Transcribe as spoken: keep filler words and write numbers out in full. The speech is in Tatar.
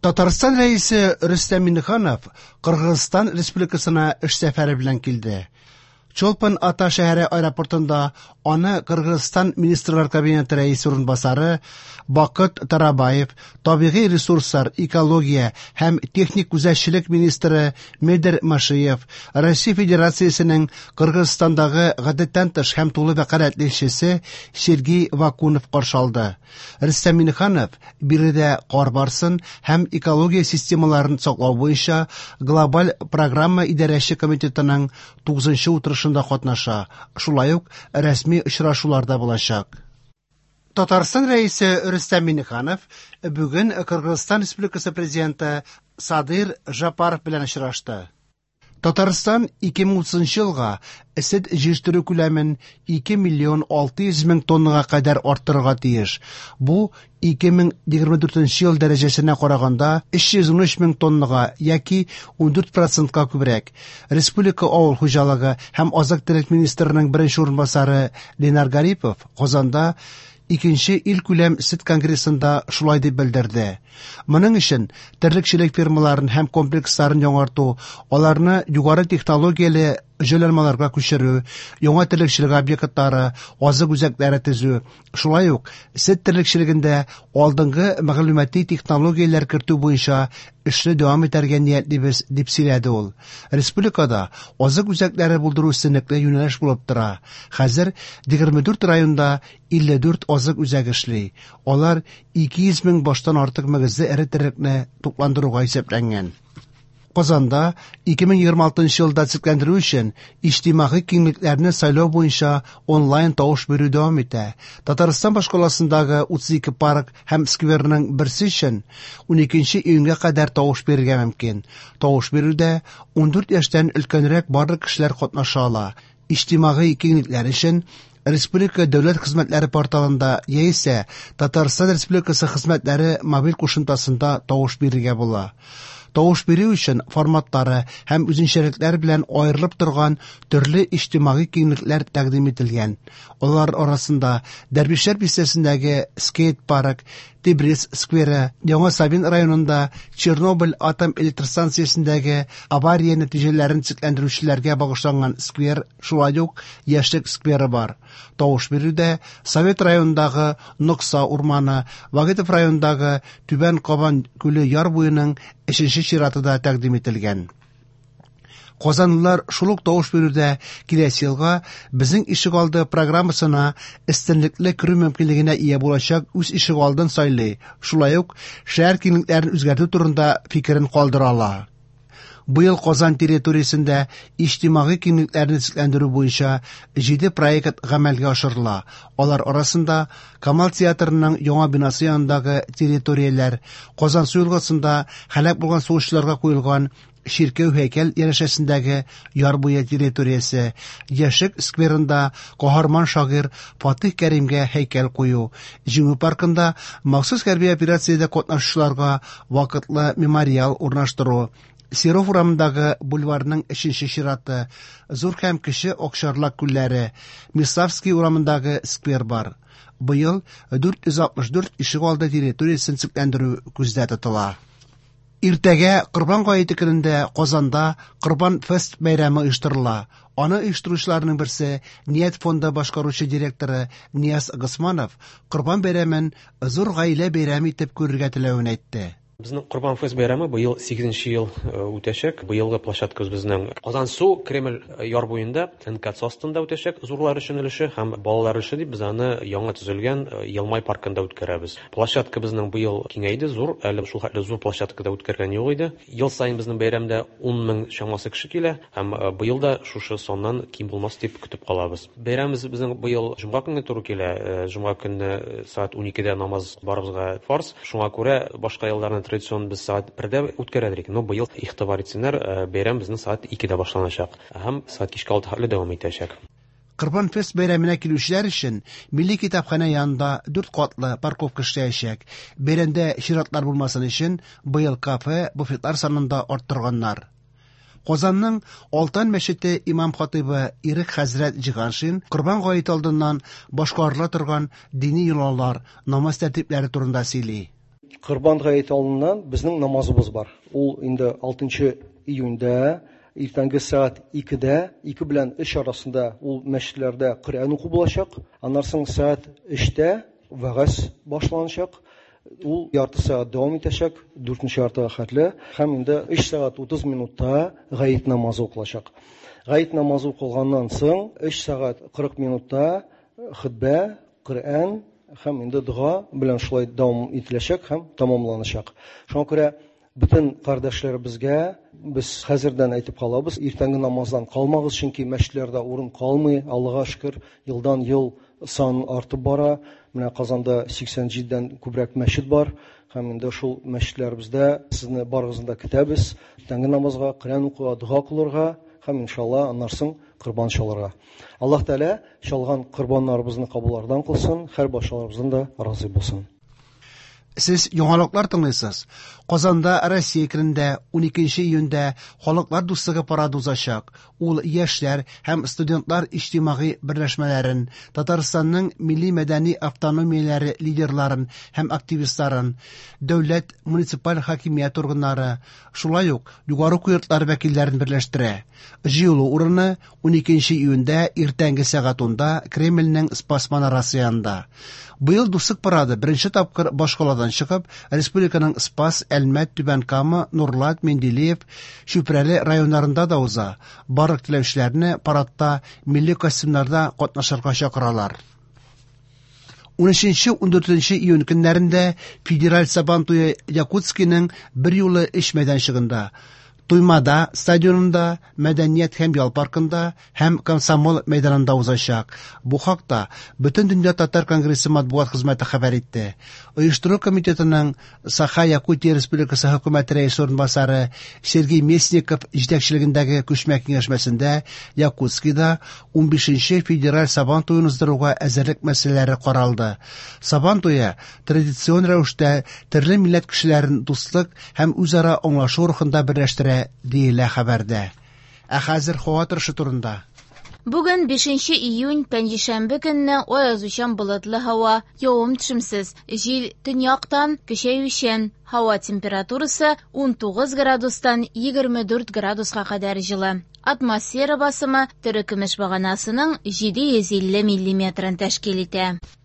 Татарстан Рәисе Рөстәм Миңнеханов Кыргызстан Республикасына эш сәфәре белән килде. Чолпан Ата шәһәре аэропортында аны Кыргызстан Министрлар Кабинеты рәисе урынбасары Бакыт Тарабаев, табигый ресурслар, экология һәм техник күзәтчелек министры Медер Машиев, Россия Федерациясенең Кыргызстандагы гадәттән тыш һәм тулы вәкаләтле илчесе Сергей Вакунов каршы алды. Рөстәм Миңнеханов биредә кар барсын һәм экология системаларын саклау буенча глобаль программа идарәче комитетының тугызынчы утырышында катнаша, шулай ук рәсми очрашуларда булачак. Татарстан Рәисе Рөстәм Миңнеханов бүген Кыргызстан Республикасы президенты Садыр Жапаров белән очрашты. Татарстан ике мең утызынчы елга сөт җитештерү күләмен ике миллион алты йөз мең тоннага кадәр арттырырга тиеш. Бу ике мең егерме дүртенче ел дәрәҗәсенә караганда өч йөз унөч мең тоннага яки ундүрт процентка күбрәк. Республика авыл хуҗалыгы һәм азык-төлек министрының беренче урынбасары Ленар Гарипов Казанда икенче илкүләм сөт конгрессында шулай дип белдерде. Моның өчен терлекчелек фермаларын һәм комплексларын яңарту, аларны югары технологияле җайланмаларга күчерү, яңа терлекчелек объектлары, азык үзәкләре төзү, шулай ук сөт терлекчелегендә алдынгы мәгълүмати технологияләр кертү буенча эшне дәвам итәргә ниятлибез, дип сөйләде ул. Республикада азык үзәкләре булдыру өстенлекле юнәлеш булып тора. Хәзер егерме дүрт районда илле дүрт азык үзәге эшли. Алар ике йөз мең баштан артык мөгезле эре терлекне тукландыруга исәпләнгән. Казанда ике мең егерме алтынчы елда төзекләндерү өчен иҗтимагый киңлекләрне сайлау буенча онлайн тавыш бирү дәвам итә. Татарстан башкаласындагы утыз ике парк һәм скверның берсе өчен уникенче июньгә кадәр тавыш бирергә мөмкин. Тавыш бирүдә ундүрт яшьтән өлкәнрәк барлык кешеләр катнаша ала. Иҗтимагый киңлекләр өчен Республика дәүләт хезмәтләре порталында яисә Татарстан Республикасы хезмәтләре мобиль кушымтасында тавыш бирергә була. Тавыш бирү өчен форматлары һәм үзенчәлекләр белән аерылып торган төрле иҗтимагый киңлекләр тәкъдим ителгән. Алар арасында Дәрвишләр бистәсендәге скейт-парк, Тибрис скверы, Яңа Савин районында Чернобыль атом электростанциясендәге авария нәтиҗәләрен төзекләндерүчеләргә багышланган сквер, шулай ук Яшьлек скверы бар. Тавыш бирүдә Совет районындагы Нокса урманы, Вагитов районындагы Түбән Кабан күле яр буеның өченче чираты да тәкъдим ителгән. Казанлылар шул ук тавыш бирүдә киләсе елга Безнең ишегалды программасына өстенлекле керү мөмкинлегенә ия булачак үз ишегалдын сайлый, шулай ук шәһәр киңлекләрен үзгәртү турында фикерен калдыра ала. Быел Казан территориясендә иҗтимагый киңлекләрне төзекләндерү буенча җиде проект гамәлгә ашырыла. Алар арасында Камал театрының яңа бинасы янындагы территорияләр, Казан су елгасында һәлак булган сугышчыларга куелган чиркәү һәйкәл янәшәсендәге яр буе территориясе, Яшьлек скверында каһарман шагыйрь Фатих Кәримгә һәйкәл кую, Җиңү паркында махсус хәрби операциядә катнашучыларга вакытлы мемориал урнаштыру, Серов урамындагы бульварның өченче чираты, Зур һәм Кече Акчарлак күлләре, Миславский урамындагы сквер бар. Быел дүрт йөз алтмыш дүрт ишегалды территориясен төзекләндерү күздә тотыла. Иртәгә Корбан гаете көнендә Казанда Корбан фест бәйрәме оештырыла. Аны оештыручыларның берсе Ният фонды башкаручы директоры Нияз Госманов Корбан бәйрәмен зур гаилә бәйрәме итеп күрергә теләвен әйтте. Безнең Корбан фест бәйрәме быел сигезенче ел, э, үтәчәк. Быелгы площадкабыз безнең Казансу Кремль яр буенда Н К Ц астында үтәчәк зурлар өчен өлеше һәм балалар өчен дип без аны яңа төзелгән, э, Елмай паркында үткәрәбез. Площадка безнең быел киңәйде, зур, әле шул хәтле зур площадкада үткәргән юк иде. Ел саен безнең бәйрәмдә ун мең чамасы кеше килә һәм, э, быел да шушы саннан ким булмас дип көтеп калабыз. Бәйрәмебез безнең быел җомга көнне туры килә. Э, җомга көнне сәгать уникедә намаз барыбызга фарз. Шуңа күрә башка елларны традицион без сәгать бердә үткәрәдек. Но быел игътибар итсеннәр, э, бәйрәм безнең сәгать икедә башланачак һәм сәгать кичке алты хәтле дәвам итәчәк. Корбан фест бәйрәменә килүчеләр өчен Милли китапханә янында дүрт катлы парковка эшләячәк. Бәйрәмдә чиратлар булмасын өчен быел кафе, буфетлар санын да арттырганнар. Казанның Алтан мәчете имам хатыйбы Ирек хәзрәт Җиһаншин Корбан гаете алдыннан башкарыла торган дини йолалар, намаз тәртипләре турында сөйли. Корбан гаете алдыннан безнең намазыбыз бар. Ул инде алтынчы июньдә иртәнге сәгать икедә, ике белән өч арасында ул мәчетләрдә Коръән уку булачак. Аннан соң сәгать өчтә вәгазь башланачак. Ул ярты сәгать дәвам итәчәк, дүртенче яртыга хәтле, һәм инде өч сәгать утыз минутта гает намазы укылачак. Гает намазы укылганнан соң өч сәгать кырык минутта хөтбә, Коръән һәм инде дога белән шулай дәвам ителәчәк һәм тәмамланачак. Шуңа күрә бөтен кардәшләребезгә без хәзердән әйтеп калабыз, иртәнге намаздан калмагыз, чөнки мәчетләрдә урын калмый. Аллага шөкер, елдан ел сан артып бара. Менә Казанда сиксән җидедән күбрәк мәчет бар һәм инде шул мәчетләребездә сезне барыгызны да көтәбез. Иртәнге намазга, Коръән укуга, дога кылырга һәм иншалла аннан соң корбан чалырга. Аллаһ Тәгалә чалган корбаннарыбызны кабуллардан кылсын, һәр барчаларыбыздан да разый булсын. Сез яңалыклар тыңлыйсыз. Казанда Россия көнендә уникенче июньдә Халыклар дуслыгы парады узачак. Ул яшьләр һәм студентлар иҗтимагый берләшмәләрен, Татарстанның милли мәдәни автономияләре лидерларын һәм активистларын, дәүләт муниципаль хакимият органнары, шулай ук югары уку йортлары вәкилләрен берләштерә. Җыелу урыны уникенче июньдә иртәнге сәгать унда Кремльнең Спас манарасы янында. Быел дуслык парады беренче тапкыр башкаладан чыгып, республиканың Спас, Әлмәт, Түбән Кама, Нурлат, Менделеев, Чүпрәле районнарында да уза. Барлык теләүчеләрне парадта милли костюмнарда катнашырга чакыралар. Унөченче, ундүртенче июнь көннәрендә Федераль Сабан туе Якутскиның бер юлы өч мәйданчыгында, Туймада стадионында, Мәдәният һәм ял паркында һәм Комсомол мәйданында узачак. Бу хакта Бөтен дөнья татар конгрессы матбугат хезмәте хәбәр итте. Оештыру комитетының Саха-Якутия Республикасы хөкүмәте рәисе урынбасары Сергей Местников җитәкчелегендәге күчмә киңәшмәсендә Якутскида унбишенче федераль Сабан туен уздыруга әзерлек мәсьәләләре каралды. Сабан туе традицион рәвештә төрле милләт кешеләрен дуслык һәм үзара аңлашу рухында берләштерә, диелә хәбәрдә. Ә хәзер һава торышы турында. Бүген бишенче июнь, пәнҗешәмбе көнне аязучан болытлы һава, явым-төшемсез, җил төньяктан көчәючән. Һава температурасы ун тугыз градустан егерме дүрт градуска кадәр җылы. Атмосфера басымы терекөмеш баганасының җиде йөз илле миллиметрын тәшкил итә.